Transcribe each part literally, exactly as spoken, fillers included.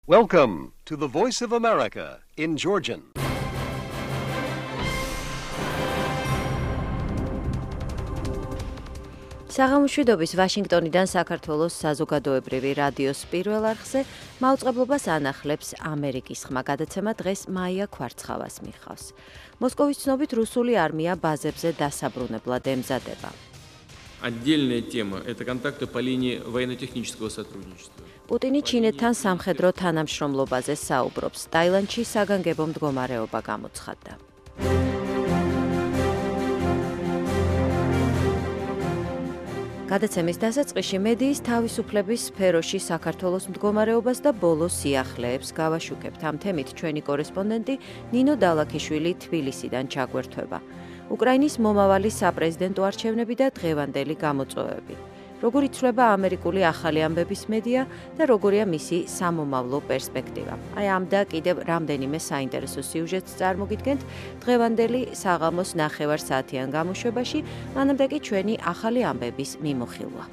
Welcome to the Voice of America in Georgian. საღამოშვიდობის ვაშინგტონიდან საქართველოს საზოგადოებრივი რადიოს პირველ არხზე მაუწყებლობას ანახლებს ამერიკის ხმა გადაცემა დღეს მაია ქვარცხავას მიხავს. მოსკოვის ცნობით რუსული არმია ბაზებზე დასაბრუნებლად ემზადება. Отдельная тема – это контакты по линии военно-технического сотрудничества. პუტინი ჩინეთთან სამხედრო თანამშრომლობაზე საუბრობს. ტაილანდში საგანგებო მდგომარეობა გამოცხადდა. გადაცემის დასაწყისში მედიის თავისუფლების სფეროში საქართველოს მდგომარეობას და ბოლო სიახლეებს გავაშუქებთ. ამ თემით ჩვენი კორესპონდენტი ნინო დალაქიშვილი თბილისიდან ჩაგვერთვება. უკრაინის მომავალი საპრეზიდენტო არჩევნები და დღევანდელი გამოწვევები. როგორ იცვლება ამერიკული ახალი ამბების მედია და როგორია მისი სამომავლო პერსპექტივა. აი ამ და კიდევ რამდენიმე საინტერესო სიუჟეტს წარმოგიდგენთ დღევანდელი საღამოს ნახევარ საათიან გამოშვებაში, მანამდე კი ჩვენი ახალი ამბების მიმოხილვა.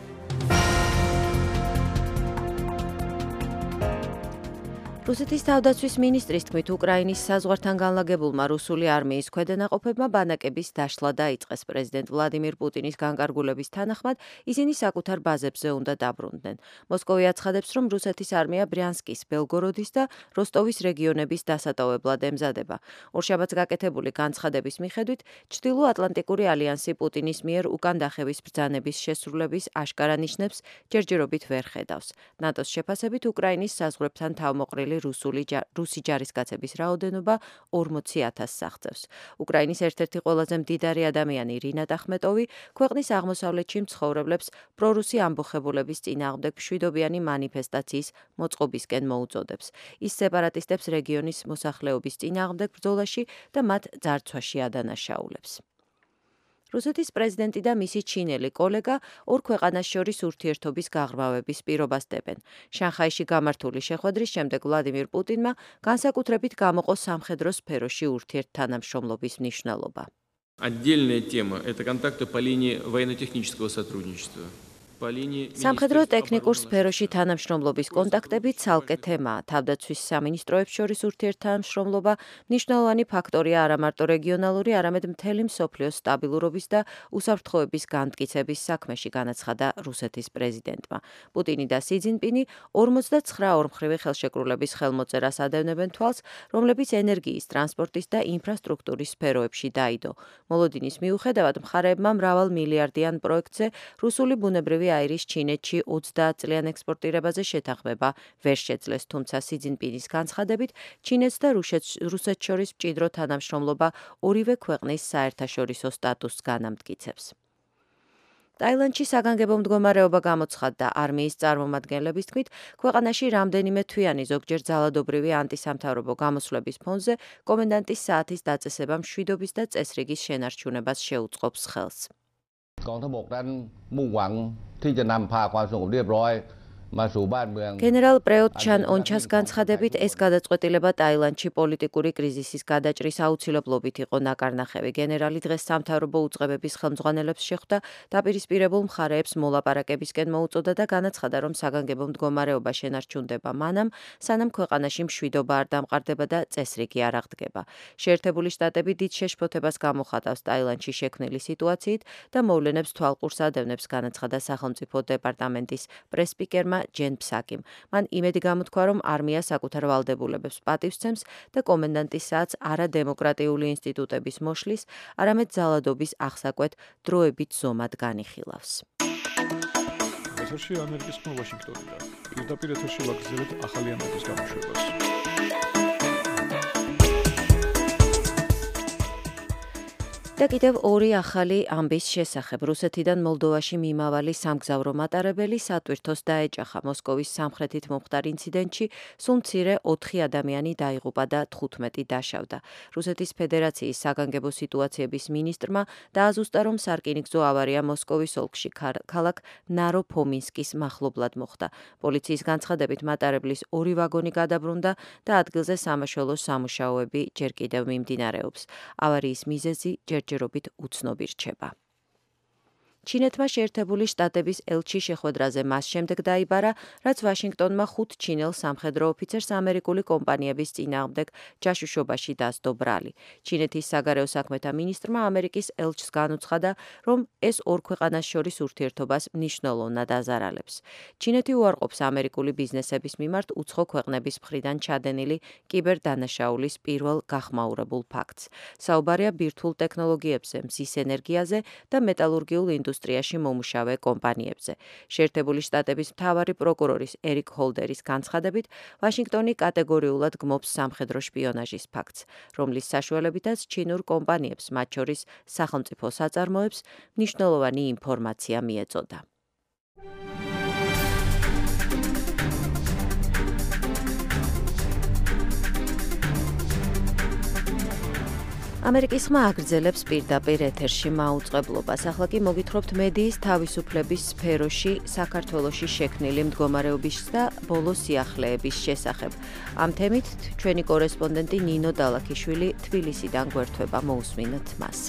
რუსეთის თავდაცვის მინისტრის თქმით, უკრაინის საზღვართან განლაგებულმა რუსული არმიის ქვედანაყოფებმა ბანაკების დაშლა დაიწყეს. პრეზიდენტ ვლადიმირ პუტინის განკარგულების თანახმად ისინი საკუთარ ბაზებზე უნდა დაბრუნდნენ. მოსკოვი აცხადებს, რომ რუსეთის არმია ბრიანსკის, ბელგოროდის და როსტოვის რეგიონების დასატოვებლად ემზადება. ორშაბათს გაკეთებული განცხადების მიხედვით, ჩრდილო-ატლანტიკური ალიანსი პუტინის მიერ უკან დახევის ბრძანების შესრულების აშკარა ნიშნებს ჯერჯერობით ვერ ხედავს. ნატოს შეფასებით, უკრაინის საზღვრებთან თავმოყრილი რუსული რუსი ჯარისკაცების რაოდენობა ორმოცი ათასს აღწევს. უკრაინის ერთ-ერთი ყველაზე მდიდარი ადამიანი რინატ ახმეტოვი ქვეყნის აღმოსავლეთში მცხოვრებლებს პრორუსი ამბოხებულების წინააღმდეგ მშვიდობიანი მანიფესტაციის მოწყობისკენ მოუწოდებს. ის სეპარატისტებს რეგიონის მოსახლეობის წინააღმდეგ ბრძოლაში და მათ ძარცვაში ადანაშაულებს. რუსეთის პრეზიდენტი და მისი ჩინელი კოლეგა ორ ქვეყანას შორის ურთიერთობის გაღრმავების პირობას დებენ. შანხაიში გამართული შეხვედრის შემდეგ ვლადიმირ პუტინმა განსაკუთრებით გამოყო სამხედრო სფეროში ურთიერთთანამშრომლობის მნიშვნელობა. Отдельная тема – это контакты по линии военно-технического сотрудничества. სამხედრო ტექნიკურ სფეროში თანამშრომლობის კონტაქტები ცალკე თემაა. თავდაცვის სამინისტროებს შორის ურთიერთთანამშრომლობა მნიშვნელოვანი ფაქტორია არა მარტო რეგიონალური, არამედ მთელი მსოფლიოს სტაბილურობის და უსაფრთხოების განმტკიცების საქმეში, განაცხადა რუსეთის პრეზიდენტმა. პუტინი და სი ძინპინი ორმოცდაცხრა ორმხრივი ხელშეკრულების ხელმოწერას ადევნებენ თვალს, რომლებიც ენერგიის, ტრანსპორტის და ინფრასტრუქტურის სფეროებში დაიდო. მოლოდინის მიუხედავად, მხარეებმა მრავალ მილიარდიან პროექტზე რუსული ბუნებრივი აირის ჩინეთში ოცდაათ წლიან ექსპორტირებაზე შეთანხმება ვერ შეძლეს, თუმცა სი ძინპინის განცხადებით ჩინეთს და რუსეთს შორის მჭიდრო თანამშრომლობა ორივე ქვეყნის საერთაშორისო სტატუსს განამტკიცებს. ტაილანდში საგანგებო მდგომარეობა გამოცხადდა. არმიის წარმომადგენლების თქმით, ქვეყანაში რამდენიმე თვიანი ზოგჯერ ძალადობრივი ანტისამთავრობო გამოსვლების ფონზე კომენდანტის საათის დაწესება მშვიდობის და წესრიგის შენარჩუნებას შეუწყობს ხელს. กองทัพบกนั้นมุ่งหวังที่จะนำพาความสงบเรียบร้อยมาสู่บ้านเมือง გენერალ პრეოტ ჩან ონჩას განცხადებით, ეს გადაწყვეტილება ტაილანდში პოლიტიკური კრიზისის გადაჭრის აუცილებლობით იყო ნაკარნახევი. გენერალი დღეს სამთავრობო უწყებების ხელმძღვანელებს შეხვდა, დაპირისპირებულ მხარეებს მოლაპარაკებისკენ მოუწოდა და განაცხადა, რომ საგანგებო მდგომარეობა შენარჩუნდება მანამ, სანამ ქვეყანაში მშვიდობა არ დამყარდება და წესრიგი არ აღდგება. შეერთებული შტატები დიდ შეშფოთებას გამოხატავს ტაილანდში შექმნილი სიტუაციით და მოვლენებს თვალყურს ადევნებს, განაცხადა სახელმწიფო დეპარტამენტის პრესპიკერმა ჯენ ფსაკიმ. მან იმედი გამოთქვა, რომ არმია საკუთარ ვალდებულებებს პატივს სცემს და კომენდანტის საათს არა დემოკრატიული ინსტიტუტების მოშლის, არამედ ძალადობის აღსაკვეთ დროებით ზომად განიხილავს. ეთერში ამერიკის ხმა ვაშინგტონიდან. პირდაპირ ეთერში ვაგრძელებთ ახალი ამბების გამოშვებას. და კიდევ ორი ახალი ამბის შესახებ. რუსეთიდან მოლდოვაში მიმავალი სამგზავრო მატარებელი სატვირთოს დაეჭახა. მოსკოვის სამხრეთით მომხდარ ინციდენტში სულ მცირე ოთხი ადამიანი დაიღუპა და თხუთმეტი დაშავდა. რუსეთის ფედერაციის საგანგებო სიტუაციების მინისტრმა დააზუსტა, რომ სარკინიგზო ავარია მოსკოვის ოლქში ქალაქ ნაროფომინსკის მახლობლად მოხდა. პოლიციის განცხადებით მატარებლის ორი ვაგონი გადაბრუნდა და ადგილზე სამაშველო სამუშაოები ჯერ კიდევ მიმდინარეობს. ავარიის მიზეზი ჯერ ჯერობით უცნობი რჩება. ჩინეთმა შეერთებული შტატების ელჩი შეხვედრაზე მას შემდეგ დაიბარა, რაც ვაშინგტონმა ხუთ ჩინელ სამხედრო ოფიცერს ამერიკული კომპანიების წინააღმდეგ ჯაშუშობაში დასდო ბრალი. ჩინეთის საგარეო საქმეთა მინისტრმა ამერიკის ელჩს განუცხადა, რომ ეს ორ ქვეყანას შორის ურთიერთობას მნიშვნელოვნად აზარალებს. ჩინეთი უარყოფს ამერიკული ბიზნესების მიმართ უცხო ქვეყნების მხრიდან ჩადენილი კიბერდანაშაულის პირველ გახმაურებულ ფაქტს. საუბარია ბირთვულ ტექნოლოგიებზე, მზის ენერგიაზე და მეტალურგიულ ინდუსტრიაში მომუშავე კომპანიებზე. შეერთებული შტატების მთავარი პროკურორის ერიკ ჰოლდერის განცხადებით, ვაშინგტონი კატეგორიულად გმობს სამხედრო შპიონაჟის ფაქტს, რომლის საშუალებითაც ჩინურ კომპანიებს, მათ შორის სახელმწიფო საწარმოებს, მნიშვნელოვანი ინფორმაცია მიეწოდა. ამერიკის ხმა აგრძელებს პირდაპირ ეთერში მაუწყებლობას. ახლა კი მოგითხრობთ მედიის თავისუფლების სფეროში საქართველოში შექმნილი მდგომარეობის და ბოლო სიახლეების შესახებ. ამ თემით ჩვენი კორესპონდენტი ნინო დალაქიშვილი თბილისიდან გვერდება, მოусმინოთ მას.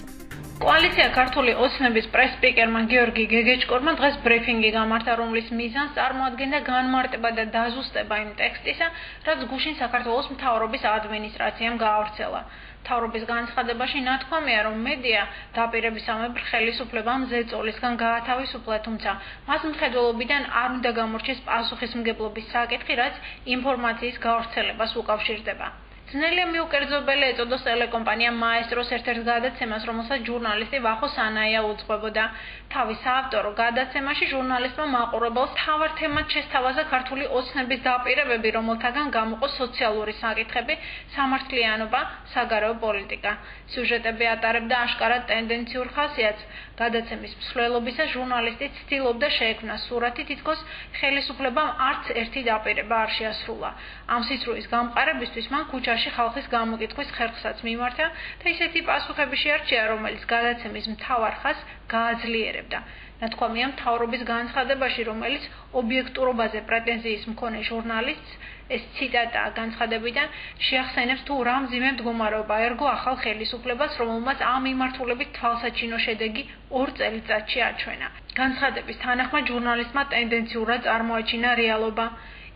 კოალიცია ქართული ოცნების პრეს-სპიკერმა გიორგი გეგეჭკორმა დღეს ბრიფინგი გამართა, რომლის მიზანს წარმოადგენდა განმარტება და დაზუსტება იმ ტექსტისა, რაც გუშინ საქართველოს მთავრობის ადმინისტრაციამ გაავრცელა. მთავრობის განცხადებაში ნათქვამია, რომ მედია დაპირებისამებრ ხელისუფლებამ ზეწოლისგან გაათავისუფლა, თუმცა მას მხედველობიდან არ უნდა გამორჩეს პასუხისმგებლობის საკითხი, რაც ინფორმაციის გავრცელებას უკავშირდება. ძნელია მიუკერძობელი ეწოდოს ტელეკომპანია მაესტროს ერთ-ერთ გადაცემას, რომელსაც ჟურნალისტი ვახო სანაია უძღვებოდა. თავის საავტორო გადაცემაში ჟურნალისტმა მაყურებელს მთავარ თემად შესთავაზა ქართული ოცნების დაპირებები, რომელთაგან გამოყო სოციალური საკითხები, სამართლიანობა, საგარეო პოლიტიკა. სიუჟეტები ატარებდა აშკარად ტენდენციურ ხასიათს. გადაცემის მსვლელობისას ჟურნალისტი ცდილობდა შეექმნა სურათი, თითქოს ხელისუფლებამ არც ერთი დაპირება არ შეასრულა. ამ სიცრუის გამყარებისთვის მან ქუჩაში ხალხის გამოკითხვის ხერხსაც მიმართა და ისეთი პასუხები შეარჩია, რომელიც გადაცემის მთავარ ხაზს გააძლიერებდა. ნათქვამია მთავრობის განცხადებაში, რომელიც ობიექტურობაზე პრეტენზიის მქონე ჟურნალისტს, ეს ციტატაა განცხადებიდან, შეახსენებს თუ რა მძიმე მდგომარეობა ერგო ახალ ხელისუფლებას, რომელმაც ამ მიმართულებით თვალსაჩინო შედეგი ორ წელიწადში აჩვენა. განცხადების თანახმად ჟურნალისტმა ტენდენციურად წარმოაჩინა რეალობა.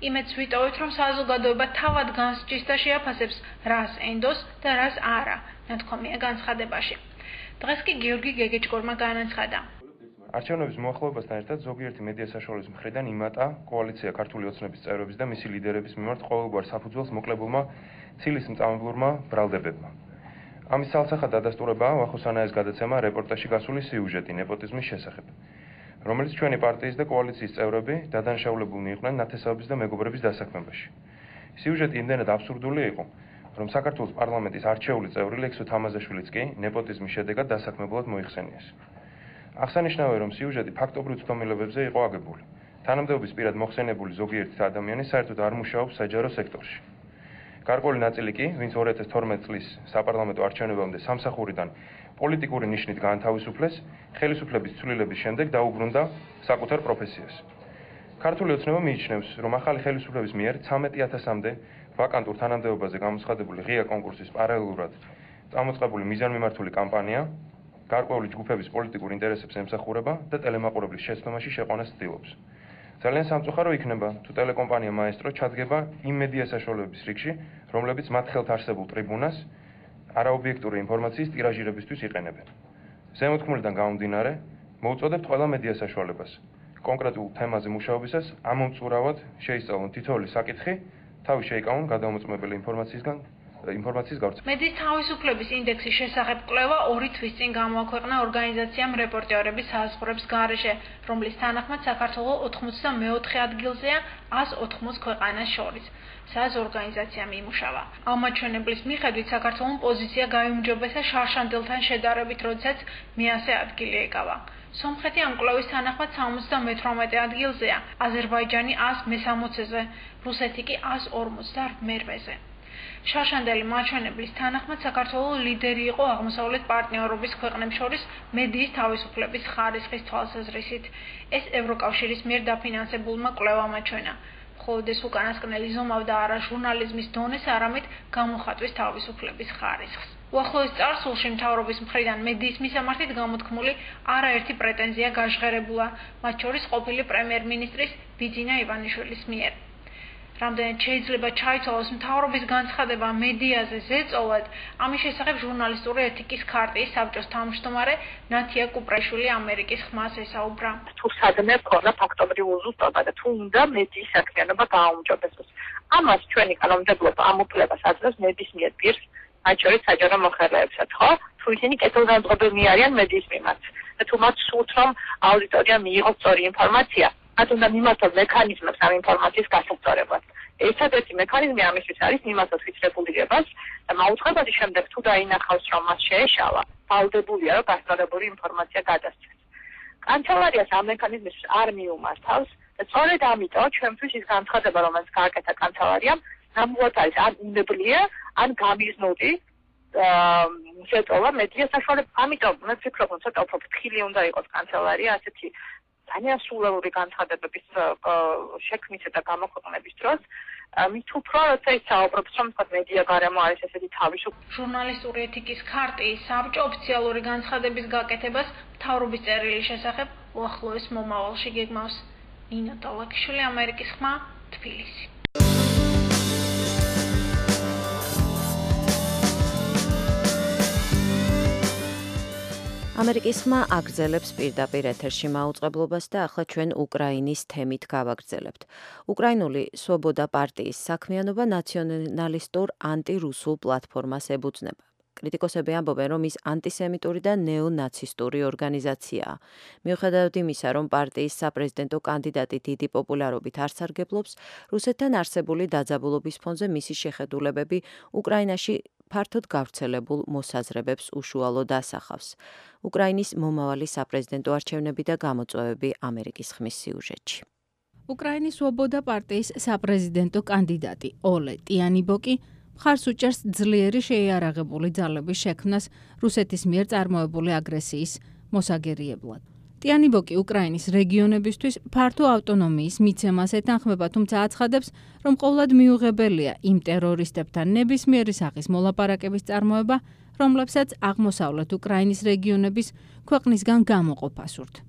იმედს ვიტოვეთ, რომ საზოგადოება თავად განსჯის და შეაფასებს, რას ენდოს და რას არა, ნათქვამია განცხადებაში. დღეს კი გიორგი გეგეჭკორმა განაცხადა. არჩევნების მოახლოებასთან ერთად ზოგიერთი მედია საშუალების მხრიდან იმატა კოალიცია ქართული ოცნების წევრების და მისი ლიდერების მიმართ ყოველგვარ საფუძველს მოკლებულმა ცილის მწამებლურმა ბრალდებებმა. ამის ცალსახად დადასტურებაა ვახო სანაის გადაცემა რეპორტაჟში გასული სიუჟეტი ნეპოტიზმის შესახებ, რომელიც ჩვენი პარტიის და კოალიციის წევრები დადანაშაულებულნი იყვნენ ნათესაობის და მეგობრების დასაქმებაში. სიუჟეტი იმდენად აბსურდული იყო, რომ საქართველოს პარლამენტის არჩეული წევრი ლექსო თამაზაშვილიც კი ნეპოტიზმის შედეგად დასაქმებლად მოიხსენიეს. აღსანიშნავია, რომ სიუჟეტი ფაქტობრივ ცდომილებებზე იყო აგებული. თანამდებობის პირად მოხსენებული ზოგიერთი ადამიანი საერთოდ არ მუშაობს საჯარო სექტორში. გარკვეული ნაწილი კი, ვინც ორი ათას თორმეტი წლის საპარლამენტო არჩევნებამდე სამსახურიდან პოლიტიკური ნიშნით გაანთავისუფლეს, ხელისუფლების ცვლილების შემდეგ დაუბრუნდა საკუთარ პროფესიას. ქართული ოცნება მიიჩნევს, რომ ახალი ხელისუფლების მიერ ცამეტი ათასამდე ვაკანტურ თანამდებობაზე გამოცხადებული ღია კონკურსის პარალელურად წამოწყებული მიზანმიმართული კამპანია გარკვეული ჯგუფების პოლიტიკურ ინტერესებს ემსახურება და ტელემაყურებლის შეცდომაში შეყვანას ცდილობს. ძალიან სამწუხარო იქნება, თუ ტელეკომპანია მაესტრო ჩადგება იმ მედია საშუალებების რიგში, რომლებიც მათ ხელთ არსებულ ტრიბუნას არაობიექტური ინფორმაციის ტირაჟირებისთვის იყენებენ. ზემოთქმულიდან გამომდინარე, მოვუწოდებთ ყველა მედია საშუალებას კონკრეტულ თემაზე მუშაობისას ამომწურავად შეისწავლონ თითოეული საკითხი, თავი შეიკავონ გადამოწმებელი ინფორმაციისგან ინფორმაციის გავრცელება. მედიის თავისუფლების ინდექსის შესახებ კვლევა ორი თვის წინ გამოაქვეყნა ორგანიზაციამ რეპორტერების საზღვრებს გარეშე, რომლის თანახმად საქართველო ოთხმოცდამეოთხე ადგილზეა ას ოთხმოც ქვეყანას შორის. სას ორგანიზაციამ იმუშავა. ამ მაჩვენებლის მიხედვით საქართველოს პოზიცია გაიუმჯობესა შარშანდელთან შედარებით, როდესაც მეათე ადგილი ეკავა. სომხეთი ამ კვლევის თანახმად სამოცდამეთვრამეტე ადგილზეა, აზერბაიჯანი ას მესამოცეზე, რუსეთი კი ას ორმოცდამერვეზე. შარშანდელი მაჩვენებლის თანახმად საქართველოს ლიდერი იყო აღმოსავლეთ პარტნიორობის ქვეყნებს შორის მედიის თავისუფლების ხარისხის თვალსაზრისით. ეს ევროკავშირის მიერ დაფინანსებულმა კვლევამ აჩვენა. მხოლოდ ეს უკანასკნელი ზომავდა არა ჟურნალიზმის დონეს, არამედ გამოხატვის თავისუფლების ხარისხს. უახლოეს წარსულში მთავრობის მხრიდან მედიის მისამართით გამოთქმული არაერთი პრეტენზია გაჟღერებულა, მათ შორის ყოფილი პრემიერ-მინისტრის ბიძინა ივანიშვილის მიერ. რამდენად შეიძლება ჩაითვალოს მთავრობის განცხადება მედიაზე ზეწოლად, ამის შესახებ ჟურნალისტური ეთიკის ქარტიის საბჭოს თავმჯდომარე ნათია კუპრაშვილი ამერიკის ხმას ესაუბრა. თუ სადმე ქონა ფაქტობრივი უზუსტობა და თუ უნდა მედიის საქმიანობა გააუმჯობესოს. ამას ჩვენი კანონმდებლობა ამ უფლებას აძლევს ნებისმიერ პირს, მათ შორის საჯარო მოხელეებსაც, ხო? თუ ისინი კეთილგანწყობილნი არიან მედიის მიმართ და თუ მათ სურთ, რომ აუდიტორია მიიღოს სწორი ინფორმაცია, მათ უნდა მიმართოს მექანიზმებს ამ ინფორმაციის გასაწორებლად. ერთადერთი მექანიზმი ამისთვის არის მიმართოს ვიწრებულებას და მაუწყებადი შემდეგ თუ დაინახავს, რომ მას შეეშალა, ვალდებულია, რომ გასწორებული ინფორმაცია გადასცეს. კანცელარიას ამ მექანიზმისთვის არ მიუმართავს და სწორედ ამიტომ ჩვენთვის ის განცხადება, რომელიც გააკეთა კანცელარიამ, ნამდვილად არის ან უნებლიე, ან გამიზნული ზეწოლა მედიას საშუალებით. ამიტომ მე ვფიქრობ, რომ ცოტა უფრო ფრთხილი უნდა იყოს კანცელარია ასეთი ძალიან სულელური განცხადებების შექმნისა და გამოქვეყნების დროს. მით უფრო როცა ის საუბრობს, რომ თქვა მედია გარემო არის ესეთი თავისუფლი. ჟურნალისტური ეთიკის ქარტიის საბჭო ოფიციალური განცხადების გაკეთებას მთავრობის წერილის შესახებ უახლოეს მომავალში გეგმავს. ნინო ტოლაკიშვილი, ამერიკის ხმა, თბილისი. ამერიკის ხმა აგრძელებს პირდაპირ ეთერში მაუწყებლობას და ახლა ჩვენ უკრაინის თემით გავაგრძელებთ. უკრაინული სვობოდა პარტიის საქმიანობა ნაციონალისტურ ანტირუსულ პლატფორმას ებუძნება. კრიტიკოსები ამბობენ, რომ ის ანტისემიტური და ნეონაცისტური ორგანიზაციაა. მიუხედავად იმისა, რომ პარტიის საპრეზიდენტო კანდიდატი დიდი პოპულარობით არ სარგებლობს, რუსეთთან არსებული დაძაბულობის ფონზე მისი შეხედულებები უკრაინაში ფართოდ გავრცელებულ მოსაზრებებს უშუალოდ ასახავს. უკრაინის მომავალი საპრეზიდენტო არჩევნები და გამოწვევები ამერიკის ხმის სიუჟეტში. უკრაინის სვობოდა პარტიის საპრეზიდენტო კანდიდატი ოლე ტიანიბოკი მხარს უჭერს ძლიერი შეიარაღებული ძალების შექმნას რუსეთის მიერ წარმოებული აგრესიის მოსაგერიებლად. ტიანიბოკი უკრაინის რეგიონებისთვის ფართო ავტონომიის მიცემას ეთანხმება, თუმცა აცხადებს, რომ ყოვლად მიუღებელია იმ ტერორისტებთან ნებისმიერი სახის მოლაპარაკების წარმოება, რომლებსაც აღმოსავლეთ უკრაინის რეგიონების ქვეყნისგან გამოყოფა სურთ.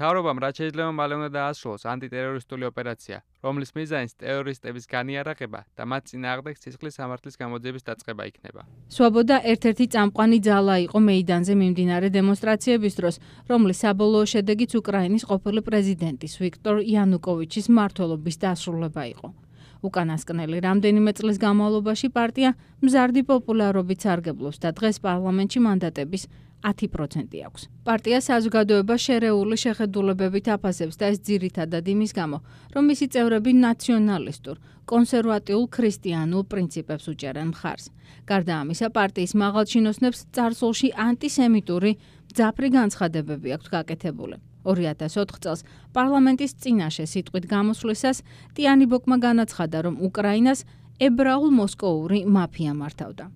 მთავრობამ რაც შეიძლება მალე უნდა დაასრულოს ანტიტერორისტული ოპერაცია, რომლის მიზანიც ტერორისტების განიარაღება და მათ წინააღმდეგ სისხლის სამართლის გამოძიების დაწყება იქნება. სვობოდა ერთ-ერთი წამყვანი ძალა იყო მეიდანზე მიმდინარე დემონსტრაციების დროს, რომლის საბოლოო შედეგიც უკრაინის ყოფილი პრეზიდენტის ვიქტორ იანუკოვიჩის მმართველობის დასრულება იყო. უკანასკნელი რამდენიმე წლის განმავლობაში პარტია მზარდი პოპულარობით სარგებლობს და დღეს პარლამენტში მანდატების ათი პროცენტი აქვს. პარტია საზოგადოებას შერეული შეხედულებებით აფასებს და ეს ძირითადად იმის გამო, რომ მისი წევრები ნაციონალისტურ, კონსერვატიულ ქრისტიანულ პრინციპებს უჭერენ მხარს. გარდა ამისა, პარტიის მაღალჩინოსნებს წარსულში ანტისემიტური მძაფრი განცხადებები აქვთ გაკეთებული. ორი ათას ოთხ წელს პარლამენტის წინაშე სიტყვით გამოსვლისას ტიანიბოკმა განაცხადა, რომ უკრაინას ებრაულ-მოსკოვური მაფია მართავდა.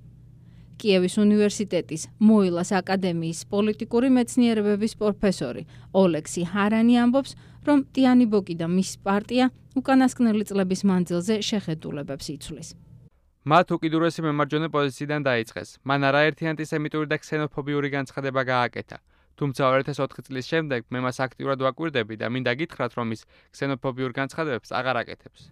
კიევის უნივერსიტეტის მოილას აკადემიის პოლიტიკური მეცნიერებების პროფესორი ოლექსი ჰარანი ამბობს, რომ ტიანიბოკი და მის პარტია უკანასკნელი წლების მანძილზე შეხედულებებს იცვლის. მათ უკიდურესი მემარჯვენე პოზიციიდან დაიწყეს. მან არაერთი ანტისემიტური და ქსენოფობიური განცხადება გააკეთა. თუმცა ორი ათას ოთხი წლის შემდეგ მე მას აქტიურად ვაკვირდები და მინდა გითხრათ, რომ ის ქსენოფობიურ განცხადებებს აღარ აკეთებს.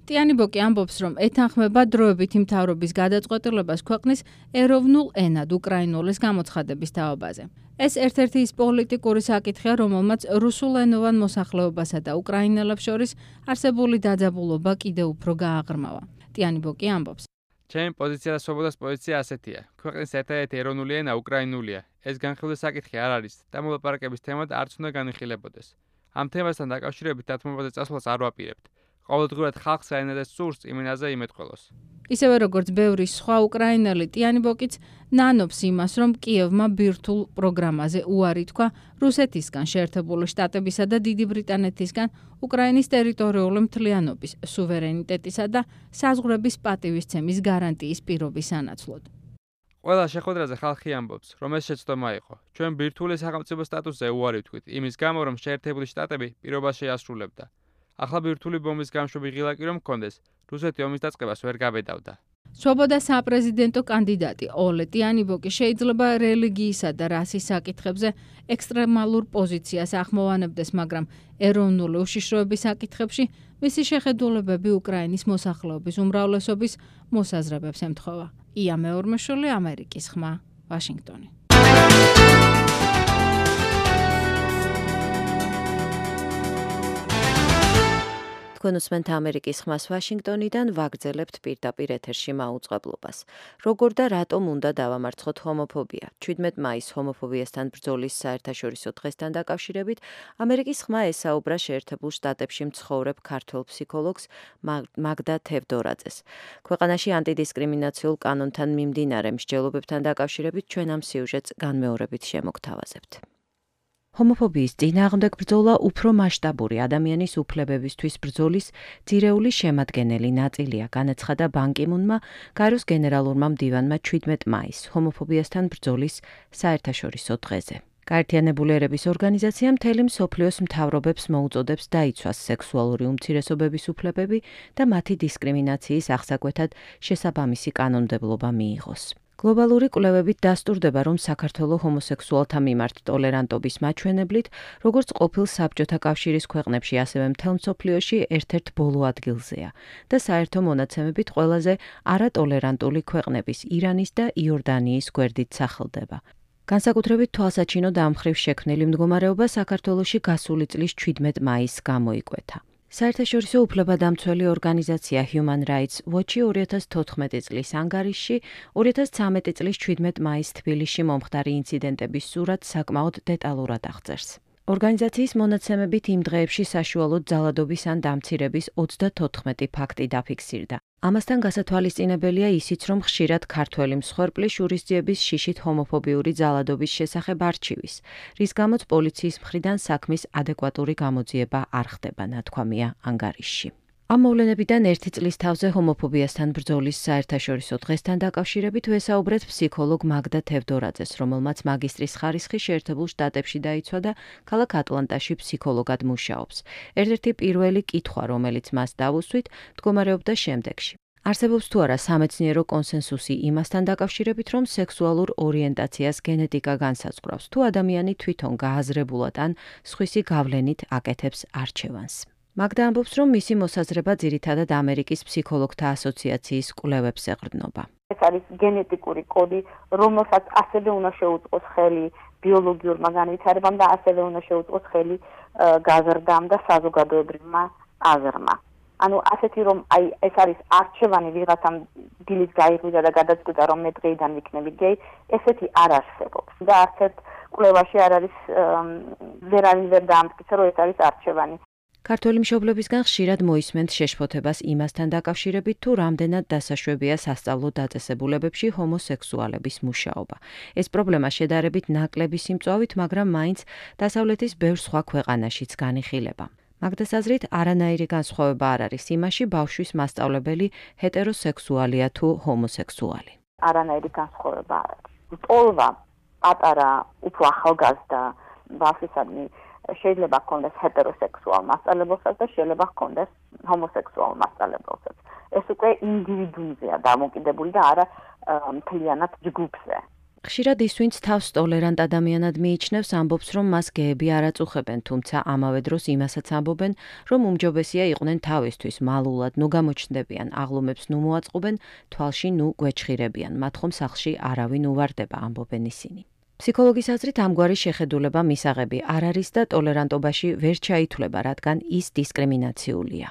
ტიანიბოკი ამბობს, რომ ეთანხმება დროებითი მთავრობის გადაწყვეტილებას ქვეყნის ეროვნულ ენად უკრაინულის გამოცხადების თაობაზე. ეს ერთ-ერთი ის პოლიტიკური საკითხია, რომელმაც რუსულენოვან მოსახლეობასა და უკრაინელებს შორის არსებული დაძაბულობა კიდევ უფრო გააღრმავა. ტიანიბოკი ამბობს, ჩემი პოზიცია და სვობოდას პოზიცია ასეთია. ქვეყნის ერთადერთი ეროვნული ენა უკრაინულია. ეს განხილული საკითხი არ არის და მოლაპარაკების თემად არც უნდა განიხილებოდეს. ამ თემასთან დაკავშირებით დათმობაზე წასვლას არ ვაპირებთ. ყოველდღურად ხალხს რაენადაც სურს იმ ენაზე იმეთყველოს. ისევე როგორც ბევრი სხვა უკრაინელი, ტიანიბოკიც ნანობს იმას, რომ კიევმა ბირთვულ პროგრამაზე უარი თქვა რუსეთისგან, შეერთებული შტატებისა და დიდი ბრიტანეთისგან უკრაინის ტერიტორიული მთლიანობის, სუვერენიტეტისა და საზღვრების პატივისცემის გარანტიის პირობის სანაცვლოდ. ყველა შეხვედრაზე ხალხი ამბობს, რომ ეს შეცდომა იყო. ჩვენ ბირთვული სახელმწიფო სტატუსზე უარი ვთქვით, იმის გამო, რომ შეერთებული შტატები პირობას შეასრულებდა. ახლა ბირთვული ბომბის გამშვები ღილაკი რომ მქონდეს, რუსეთი ომის დაწყებას ვერ გაბედავდა. სვობოდა საპრეზიდენტო კანდიდატი ოლე ტიანიბოკი შეიძლება რელიგიისა და რასის საკითხებზე ექსტრემალურ პოზიციას ახმოვანებდეს, მაგრამ ეროვნული უშიშროების საკითხებში მისი შეხედულებები უკრაინის მოსახლეობის უმრავლესობის მოსაზრებებს ემთხვევა. ია მეორმეშვილი, ამერიკის ხმა, ვაშინგტონი. თქვენ უსმენთ ამერიკის ხმას ვაშინგტონიდან, ვაგრძელებთ პირდაპირ ეთერში მაუწყებლობას. როგორ და რატომ უნდა დავამარცხოთ ჰომოფობია? ჩვიდმეტ მაისს ჰომოფობიასთან ბრძოლის საერთაშორისო დღესთან დაკავშირებით ამერიკის ხმა ესაუბრა შეერთებულ შტატებში მცხოვრებ ქართველ ფსიქოლოგს მაგდა თევდორაძეს. ქვეყანაში ანტიდისკრიმინაციულ კანონთან მიმდინარე მსჯელობებთან დაკავშირებით ჩვენ ამ სიუჟეტს განმეორებით შემოგთავაზებთ. ჰომოფობიის წინააღმდეგ ბრძოლა უფრო მასშტაბური ადამიანის უფლებებისთვის ბრძოლის ძირეული შემადგენელი ნაწილია, განაცხადა ბან კი მუნმა გაეროს გენერალურმა მდივანმა ჩვიდმეტ მაისს ჰომოფობიასთან ბრძოლის საერთაშორისო დღეზე. გაერთიანებული ერების ორგანიზაცია მთელი მსოფლიოს მთავრობებს მოუწოდებს დაიცვას სექსუალური უმცირესობების უფლებები და მათი დისკრიმინაციის აღსაკვეთად შესაბამისი კანონმდებლობა მიიღოს. გლობალური კვლევებით დასტურდება, რომ საქართველოს ჰომოსექსუალთა მიმართ ტოლერანტობის მაჩვენებლით, როგორც ყოფილ საბჭოთა კავშირის ქვეყნებში, ასევე მთელ მსოფლიოში ერთ-ერთ ბოლო ადგილზეა და საერთო მონაცემებით ყველაზე არატოლერანტული ქვეყნების ირანის და იორდანიის გვერდით სახელდება. განსაკუთრებით თვალსაჩინო და ამ მხრივ შექმნილი მდგომარეობა საქართველოში გასული წლის ჩვიდმეტ მაისს გამოიკვეთა. საერთაშორისო უფლებადამცველი ორგანიზაცია Human Rights Watch-ი ორი ათას თოთხმეტი წლის ანგარიშში, ორი ათას ცხრამეტი წლის ჩვიდმეტ მაისს თბილისში მომხდარი ინციდენტების სურათს საკმაოდ დეტალურად აღწერს. ორგანიზაციის მონაცემებით იმ დღეებში საშუალოდ ძალადობის ან დამცირების ოცდათოთხმეტი ფაქტი დაფიქსირდა. ამასთან გასათვალისწინებელია ისიც, რომ ხშირად ქართველი მსხვერპლი შურისძიების შიშით ჰომოფობიური ძალადობის შესახებ არჩივის, რის გამოც პოლიციის მხრიდან საქმის ადეკვატური გამოძიება არ ხდება, ნათქვამია ანგარიშში. ამ მოვლენებიდან ერთი წლის თავზე ჰომოფობიასთან ბრძოლის საერთაშორისო დღესთან დაკავშირებით ვესაუბრეთ ფსიქოლოგ მაგდა თევდორაძეს, რომელმაც მაგისტრის ხარისხი შეერთებულ შტატებში დაიცვა და ქალაქ ატლანტაში ფსიქოლოგად მუშაობს. ერთ-ერთი პირველი კითხვა, რომელიც მას დავუსვით, მდგომარეობდა შემდეგში. არსებობს თუ არა სამეცნიერო კონსენსუსი იმასთან დაკავშირებით, რომ სექსუალურ ორიენტაციას გენეტიკა განსაზღვრავს, თუ ადამიანი თვითონ გააზრებულად ან სხვისი გავლენით აკეთებს არჩევანს. მაგდა ამბობს, რომ მისი მოსაზრება ძირითადად ამერიკის ფსიქოლოგთა ასოციაციის კვლევებს ეყრდნობა. ეს არის გენეტიკური კოდი, რომელსაც ასევე უნდა შეუწყოს ხელი ბიოლოგიურმა განვითარებამ და ასევე უნდა შეუწყოს ხელი გაზრდამ და საზოგადოებრივმა აზრმა. ანუ ასეთი რომ აი ეს არის არჩევანი ვიღაცამ დილის გაიღვიძა და გადაწყვიტა რომ მე დღეიდან ვიქნები გეი, ესეთი არ არსებობს. და არც ერთ კვლევაში არ არის ვერ არის ვერ დაამტკიცა რომ ეს არის არჩევანი. ქართველი მშობლებისგან ხშირად მოისმენთ შეშფოთებას იმასთან დაკავშირებით, თუ რამდენად დასაშვებია სასწავლო დაწესებულებებში ჰომოსექსუალების მუშაობა. ეს პრობლემა შედარებით ნაკლები სიმწვავით, მაგრამ მაინც დასავლეთის ბევრ სხვა ქვეყანაშიც განიხილება. მაგდას აზრით, არანაირი განსხვავება არ არის იმაში, ბავშვის მასწავლებელი ჰეტეროსექსუალია თუ ჰომოსექსუალი. არანაირი განსხვავება არ არის. ტოლვა პატარა, უფრო ახალგაზრდა ბავშვისადმი შეიძლება ჰქონდეს ჰეტეროსექსუალ მასწავლებელსაც და შეიძლება ჰქონდეს ჰომოსექსუალ მასწავლებელსაც. ეს უკვე ინდივიდუუმზეა დამოკიდებული და არა მთლიანად ჯგუფზე. ხშირად ის, ვინც თავს ტოლერანტ ადამიანად მიიჩნევს, ამბობს, რომ მას გეები არ აწუხებენ, თუმცა ამავე დროს იმასაც ამბობენ, რომ უმჯობესია იყვნენ თავისთვის მალულად, ნუ გამოჩნდებიან, აღლუმებს ნუ მოაწყობენ, თვალში ნუ გვეჩხირებიან, მათ ხომ სახლში არავინ უვარდება, ამბობენ ისინი. ფსიქოლოგის აზრით ამგვარი შეხედულება მისაღები არ არის და ტოლერანტობაში ვერ ჩაითვლება, რადგან ის დისკრიმინაციულია.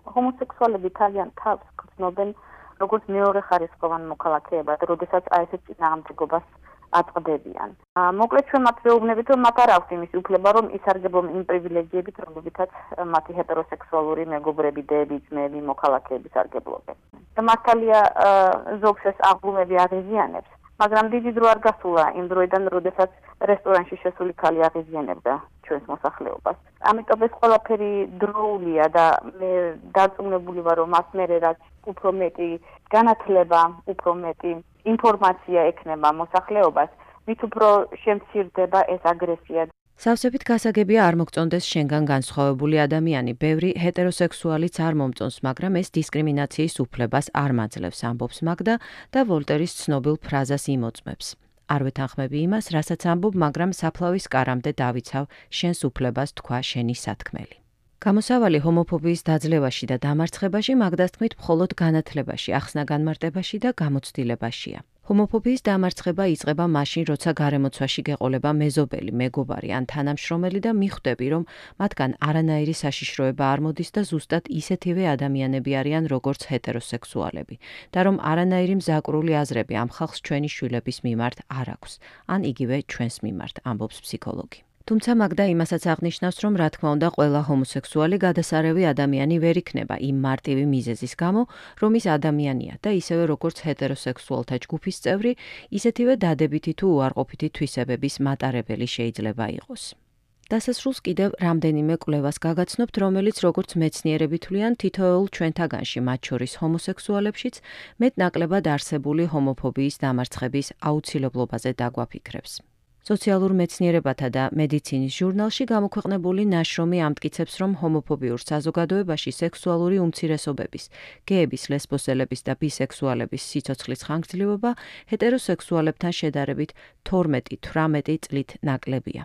ჰომოსექსუალები ძალიან თავს გრძნობენ როგორც მეორე ხარისხოვან მოქალაქეებად, როდესაც აი ესეთ წინააღმდეგობას აწყდებიან. მოკლედ ჩვენ მათ ვეუბნებით, რომ მათ არ აქვს იმის უფლება, რომ ისარგებლონ იმ პრივილეგიებით, რომლებითაც მათი ჰეტეროსექსუალური მეგობრები, დეები, ძმები, მოქალაქეები სარგებლობენ. და მართალია ზოგს ეს აღლუმები აღიზიანებს. მაგრამ დიდი დრო არ გასულა იმ დროიდან, როდესაც რესტორანში შესული ქალი აღიზიანებდა ჩვენს მოსახლეობას. ამიტომ ეს ყველაფერი დროულია და მე დარწმუნებული ვარ, რომ მას მერე რაც უფრო მეტი განათლება, უფრო მეტი ინფორმაცია ექნება მოსახლეობას, მით უფრო შემცირდება ეს აგრესია. სავსებით გასაგებია არ მოგწონდეს შენგან განსხვავებული ადამიანი, ბევრი ჰეტეროსექსუალიც არ მომწონს, მაგრამ ეს დისკრიმინაციის უფლებას არ მაძლევს, ამბობს მაგდა და ვოლტერის ცნობილ ფრაზას იმოწმებს. არ ვეთანხმები იმას, რასაც ამბობ, მაგრამ საფლავის კარამდე დავიცავ, შენს უფლებას თქვა შენი სათქმელი. გამოსავალი ჰომოფობიის დაძლევაში და დამარცხებაში მაგდას თქმით მხოლოდ განათლებაში, ახსნა-განმარტებაში და გამოცდილებაშია. ჰომოფობიის დამარცხება იწყება მაშინ, როცა გარემოცვაში გეყოლება მეზობელი, მეგობარი ან თანამშრომელი და მიხვდები, რომ მათგან არანაირი საშიშროება არ მოდის და ზუსტად ისეთივე ადამიანები არიან, როგორც ჰეტეროსექსუალები და რომ არანაირი მზაკვრული აზრები ამ ხალხს ჩვენი შვილების მიმართ არ აქვს, ან იგივე ჩვენს მიმართ, ამბობს ფსიქოლოგი. თუმცა მაგდა იმასაც აღნიშნავს, რომ რა თქმა უნდა ყველა ჰომოსექსუალი გადასარევი ადამიანი ვერ იქნება იმ მარტივი მიზეზის გამო, რომ ის ადამიანია და ისევე როგორც ჰეტეროსექსუალთა ჯგუფის წევრი, ისეთივე დადებითი თუ უარყოფითი თვისებების მატარებელი შეიძლება იყოს. დასასრულს კიდევ რამდენიმე კვლევას გაგაცნობთ, რომელიც როგორც მეცნიერები თვლიან, თითოეულ ჩვენთაგანში, მათ შორის ჰომოსექსუალებშიც, მეტნაკლებად არსებული ჰომოფობიის დამარცხების აუცილებლობაზე დაგვაფიქრებს. სოციალურ მეცნიერებათა და მედიცინის ჟურნალში გამოქვეყნებული ნაშრომი ამტკიცებს, რომ ჰომოფობიურ საზოგადოებაში სექსუალური უმცირესობების, გეების, ლესბოსელების და ბისექსუალების სიცოცხლის ხანგრძლივობა ჰეტეროსექსუალებთან შედარებით თორმეტი თვრამეტი წლით ნაკლებია.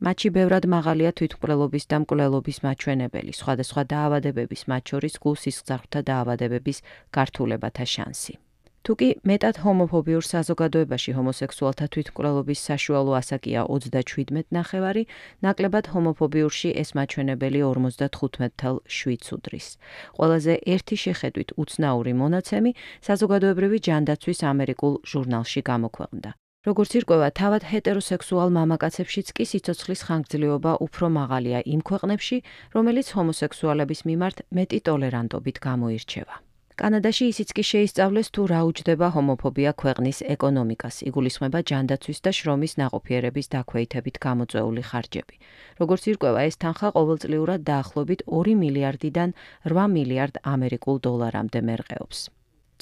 მათში ბევრად მაღალია თვითმკვლელობის და მკვლელობის მაჩვენებელი, სხვადასხვა დაავადებების, მათ შორის გულ-სისხლძარღვთა დაავადებების გართულებათა შანსი. თუკი მეტად ჰომოფობიურ საზოგადოებაში ჰომოსექსუალთა თვითმკვლელობის საშუალო ასაკია ოცდაშვიდმეტ ნახევარი, ნაკლებად ჰომოფობიურში ეს მაჩვენებელი ორმოცდათხუთმეტ თვით შვიდს უდრის. ყველაზე ერთი შეხედვით უცნაური მონაცემი საზოგადოებრივი ჯანდაცვის ამერიკულ ჟურნალში გამოქვეყნდა. როგორც ირკვევა, თავად ჰეტეროსექსუალ მამაკაცებშიც კი სიცოცხლის ხანგრძლივობა უფრო მაღალია იმ ქვეყნებში, რომელიც ჰომოსექსუალების მიმართ მეტი ტოლერანტობით გამოირჩევა. კანადაში ისიც კი შეისწავლეს, თუ რა უჯდება ჰომოფობია ქვეყნის ეკონომიკას, იგულისხმება ჯანდაცვის და შრომის ნაყოფიერების დაქვეითებით გამოწვეული ხარჯები. როგორც ირკვევა, ეს თანხა ყოველწლიურად დაახლოებით ორი მილიარდიდან რვა მილიარდ ამერიკულ დოლარამდე მერყეობს.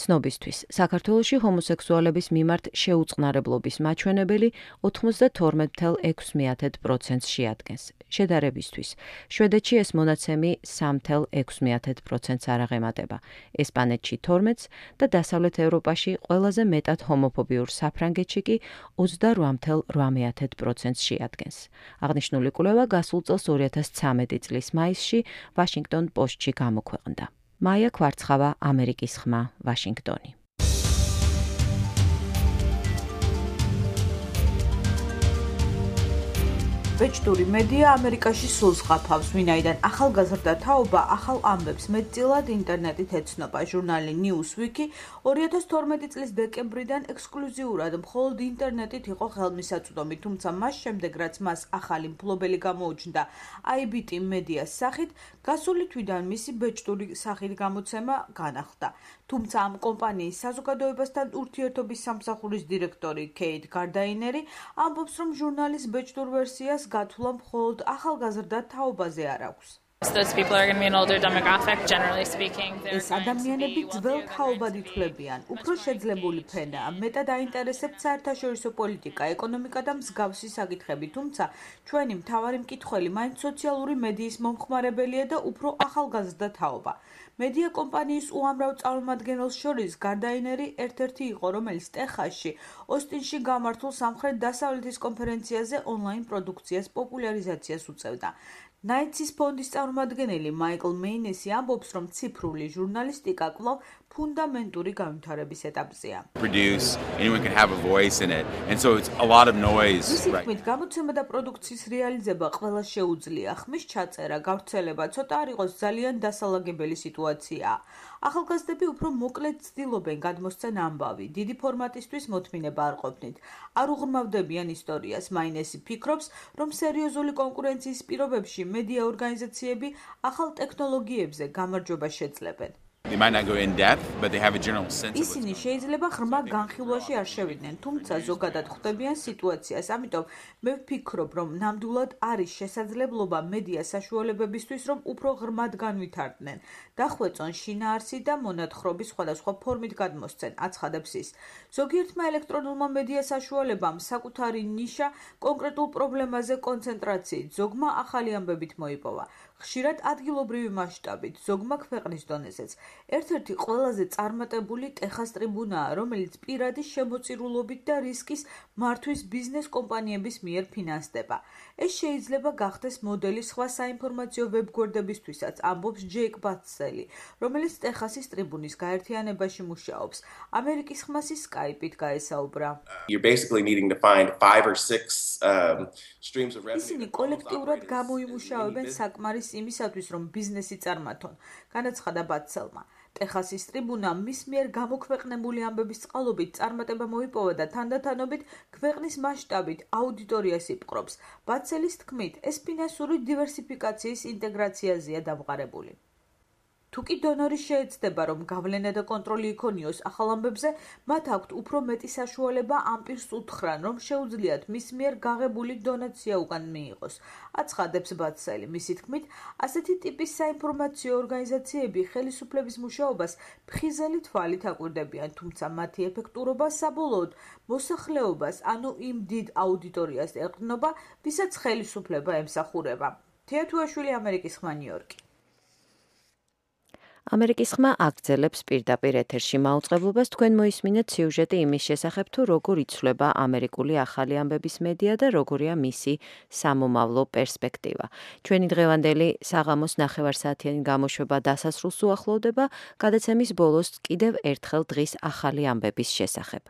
ცნობისთვის, საქართველოში ჰომოსექსუალების მიმართ შეუწყნარებლობის მაჩვენებელი ოცდათორმეტ ფاصლე ექვსი პროცენტს შეადგენს. შედარებისთვის, შვედეთში ეს მონაცემი სამი ფაصლე ექვსი პროცენტს არ აღემატება, ესპანეთში თორმეტს და დასავლეთ ევროპაში ყველაზე მეტად ჰომოფობიურ საფრანგეთში კი ოცდარვა ფაصლე რვა პროცენტს შეადგენს. აღნიშნული კვლევა გასულ წელს ორი ათას ცხრამეტი წლის მაისში ვაშინგტონ პოსტში გამოქვეყნდა. მაია კვარცხავა, ამერიკის ხმა, ვაშინგტონი. ბეჭდური მედია ამერიკაში სულს ყაფავს, ვინაიდან ახალგაზრდა თაობა ახალ ამბებს მეტწილად ინტერნეტით ეცნობა. ჟურნალი Newsweek ორი ათას თორმეტი წლის დეკემბრიდან ექსკლუზიურად მხოლოდ ინტერნეტით იყო ხელმისაწვდომი, თუმცა მას შემდეგ, რაც მას ახალი მფლობელი გამოუჩნდა აი ბი ტი მედიას სახით, გასული თვიდან მისი ბეჭდური სახით გამოცემა განახლდა. თუმცა ამ კომპანიის საზოგადოებასთან ურთიერთობის სამსახურის დირექტორი კეით გარდაინერი ამბობს, რომ ჟურნალის ბეჭდურ ვერსიას გათვლა მხოლოდ ახალგაზრდა თაობაზე არ აქვს. ეს ადამიანები ძველ თაობად ითვლებიან, უფრო შეძლებული ფენაა, მეტად აინტერესებთ საერთაშორისო პოლიტიკა, ეკონომიკა და მსგავსი საკითხები, თუმცა ჩვენი მთავარი მკითხველი მაინც სოციალური მედიის მომხმარებელია და უფრო ახალგაზრდა თაობა. მედია კომპანიის უამრავ წარმომადგენელს შორის გარდაინერი ერთ-ერთი იყო, რომელიც ტეხასში, ოსტინში გამართულ სამხრეთ-დასავლეთის კონფერენციაზე ონლაინ პროდუქციას პოპულარიზაციას უწევდა. ნაიცის ფონდის წარმომადგენელი მაიკლ მეინესი ამბობს, რომ ციფრული ჟურნალისტიკა კვლავ ფუნდამენტური განვითარების ეტაპზეა. მისი თქმით, გამოცემა და პროდუქციის რეალიზება ყველას შეუძლია. ხმის ჩაწერა, გავრცელება ცოტა არ იყოს ძალიან დასალაგებელი სიტუაციაა. ახალგაზრდები უფრო მოკლედ ცდილობენ გადმოსცენ ამბავი, დიდი ფორმატისთვის მოთმინება არ ყოფნით. არ უღრმავდებიან ისტორიას. მაინესი ფიქრობს, რომ სერიოზული კონკურენციის პირობებში მედია ორგანიზაციები ახალ ტექნოლოგიებზე გამარჯვებას შეძლებენ. They might not go in depth, but they have a general sense. ისინი შეიძლება ღრმა განხილვაში არ შევიდნენ, თუმცა ზოგადად ხვდებიან სიტუაციას. ამიტომ მე ვფიქრობ, რომ ნამდვილად არის შესაძლებლობა მედია საშუალებებისთვის, რომ უფრო ღრმად განვითარდნენ, დახვეწონ შინაარსი და მონათხრობის სხვადასხვა ფორმით გადმოსცენ, აცხადებს ის. ზოგიერთმა ელექტრონულმა მედია საშუალებამ საკუთარი ნიშა კონკრეტულ პრობლემაზე კონცენტრაციით, ზოგმა ახალი ამბებით მოიპოვა. ხშირად ადგილობრივი მასშტაბით, ზოგმა ქვეყნის დონეზეც. ერთ-ერთი ყველაზე წარმატებული ტეხას ტრიბუნაა, რომელიც პირადი შემოწირულობით და რისკის მართვის ბიზნეს კომპანიების მიერ ფინანსდება. ეს შეიძლება გახდეს მოდელი სხვა საინფორმაციო ვებგვერდებისთვისაც, ამბობს ჯეიკ ბათსელი, რომელიც ტეხასის ტრიბუნის გაერთიანებაში მუშაობს. ამერიკის ხმასი Skype-ით გაესაუბრა. You're basically needing to find five or six um, streams of revenue. ისინი კოლექტიურად გამოიმუშავებენ საკმარის იმისათვის, რომ ბიზნესი წარმართონ, განაცხადა ბათსელმა. ტეხასის ტრიბუნამ მის მიერ გამოქვეყნებული ამბების წყალობით წარმატება მოიპოვა და თანდათანობით ქვეყნის მასშტაბით აუდიტორიას იპყრობს. ბათსელის თქმით, ეს ფინანსური დივერსიფიკაციის ინტეგრაციაზეა დამყარებული. თუკი დონორი შეეცდება, რომ გავლენა და კონტროლი იქონიოს ახალ ამბებზე, მათ აქვთ უფრო მეტი საშუალება ამ პირს უთხრან, რომ შეუძლიათ მის მიერ გაღებული დონაცია უკან მიიღოს. აცხადებს ბათსელი, მისი თქმით, ასეთი ტიპის საინფორმაციო ორგანიზაციები ხელისუფლების მუშაობას ფხიზელი თვალით აკვირდებიან, თუმცა მათი ეფექტურობა საბოლოოდ მოსახლეობას, ანუ იმ დიდ აუდიტორიას ეყრდნობა, ვისაც ხელისუფლება ემსახურება. თეა თუაშვილი, ამერიკის ხმა, ნიუ-იორკი. ამერიკის ხმა აგრძელებს პირდაპირ ეთერში მაუწყებლობას. თქვენ მოისმინეთ სიუჟეტი იმის შესახებ, თუ როგორ იცვლება ამერიკული ახალი ამბების მედია და როგორია მისი სამომავლო პერსპექტივა. ჩვენი დღევანდელი საღამოს ნახევარსაათიანი გამოშვება დასასრულს უახლოვდება. გადაცემის ბოლოს კიდევ ერთხელ დღის ახალი ამბების შესახებ.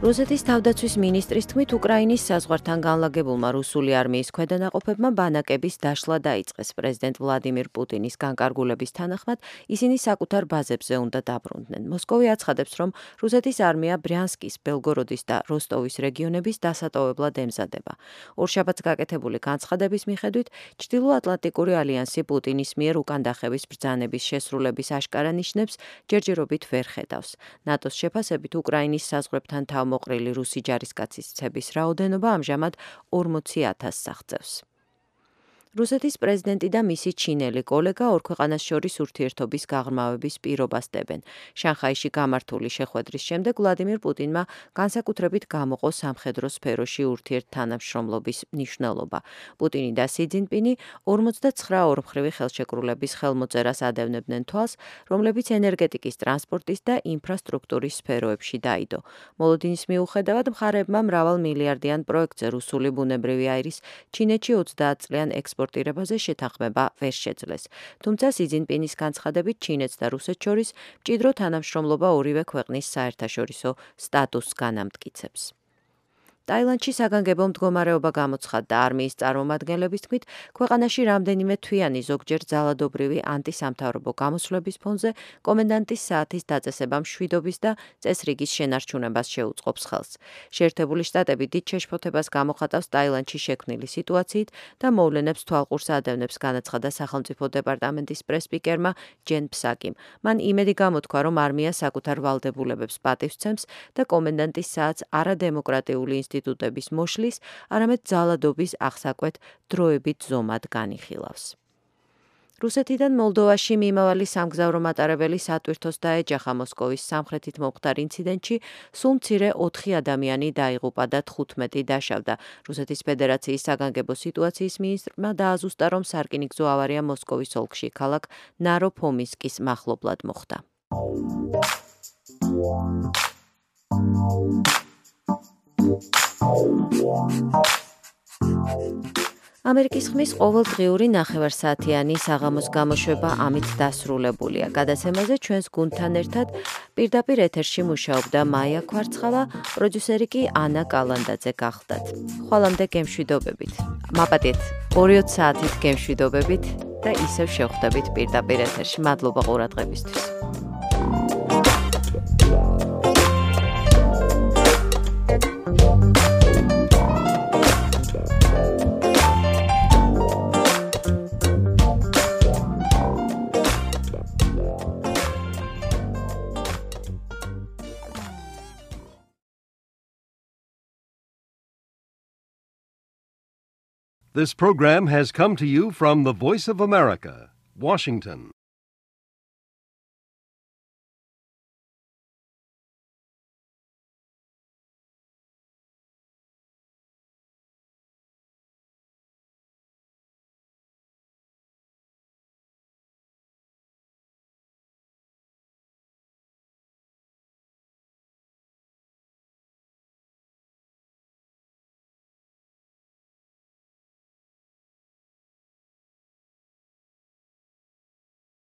რუსეთის თავდაცვის მინისტრის თქმით, უკრაინის საზღვართან განლაგებულმა რუსული არმიის ქვედანაყოფებმა ბანაკების დაშლა დაიწყეს. პრეზიდენტ ვლადიმირ პუტინის განკარგულების თანახმად ისინი საკუთარ ბაზებზე უნდა დაბრუნდნენ. მოსკოვი აცხადებს, რომ რუსეთის არმია ბრიანსკის, ბელგოროდის და როსტოვის რეგიონების დასატოვებლად ემზადება. ორშაბათს გაკეთებული განცხადების მიხედვით, ჩრდილოატლანტიკური ალიანსი პუტინის მიერ უკანდახევის ბრძანების შესრულების აშკარა ნიშნებს ჯერჯერობით ვერ ხედავს. ნატოს შეფასებით, უკრაინის საზღვრებთან თავ მოყრილი რუსი ჯარისკაცის რაოდენობა ამჟამად ორმოცი ათასს აღწევს. რუსეთის პრეზიდენტი და მისი ჩინელი კოლეგა ორ ქვეყანას შორის ურთიერთობის გაღრმავების პირობას დებენ. შანხაიში გამართული შეხვედრის შემდეგ ვლადიმირ პუტინმა განსაკუთრებით გამოყო სამხედრო სფეროში ურთიერთთანამშრომლობის მნიშვნელობა. პუტინი და სი ძინპინი ორმოცდაცხრა ორმხრივი ხელშეკრულების ხელმოწერას ადევნებდნენ თვალს, რომლებიც ენერგეტიკის, ტრანსპორტის და ინფრასტრუქტურის სფეროებში დაიდო. მოლოდინის მიუხედავად, მხარეებმა მრავალ მილიარდიან პროექტზე რუსული ბუნებრივი აირის ჩინეთში ოცდაათ წლიან ექსპორტ ირებაზე შეთანხმება ვერ შეძლეს. თუმცა სი ძინპინის განცხადებით ჩინეთს და რუსეთს შორის მჭიდრო თანამშრომლობა ორივე ქვეყნის საერთაშორისო სტატუსს განამტკიცებს. ტაილანდში საგანგებო მდგომარეობა გამოცხადდა. არმიის წარმომადგენლების თქმით, ქვეყანაში რამდენიმე თვიანი ზოგჯერ ძალადობრივი ანტისამთავრობო გამოსვლების ფონზე კომენდანტის საათის დაწესება მშვიდობის და წესრიგის შენარჩუნებას შეუწყობს ხელს. შეერთებული შტატები დიდ შეშფოთებას გამოხატავს ტაილანდში შექმნილი სიტუაციით და მოვლენებს თვალყურს ადევნებს, განაცხადა სახელმწიფო დეპარტამენტის პრესპიკერმა ჯენ ფსაკიმ. მან იმედი გამოთქვა, რომ არმია საკუთარ ვალდებულებებს პატივს სცემს და კომენდანტის საათს არადემოკრატიული ინსტიტუტების მოშლის, არამედ ძალადობის აღსაკვეთ დროებით ზომად განიხილავს. რუსეთიდან მოლდოვაში მიმავალი სამგზავრო მატარებელი სატვირთოს დაეჯახა. მოსკოვის სამხრეთით მომხდარ ინციდენტში სულ მცირე ოთხი ადამიანი დაიღუპა და თხუთმეტი დაშავდა. რუსეთის ფედერაციის საგანგებო სიტუაციის მინისტრმა დააზუსტა, რომ სარკინიგზო ავარია მოსკოვის ოლქში ქალაქ ნაროფომისკის მახლობლად მოხდა. ამერიკის ხმის ყოველდღიური ნახევარსაათიანი საღამოს გამოშვება ამით დასრულებულია. გადაცემაზე ჩვენს გუნდთან ერთად პირდაპირ ეთერში მუშაობდა მაია კვარცხავა, პროდიუსერი კი ანა კალანდაძე გახლდათ. ხვალამდე გემშვიდობებით. მაპატიეთ ორი საათით გემშვიდობებით და ისევ შევხვდებით პირდაპირ ეთერში. მადლობა ყურადღებისთვის. This program has come to you from the Voice of America, Washington.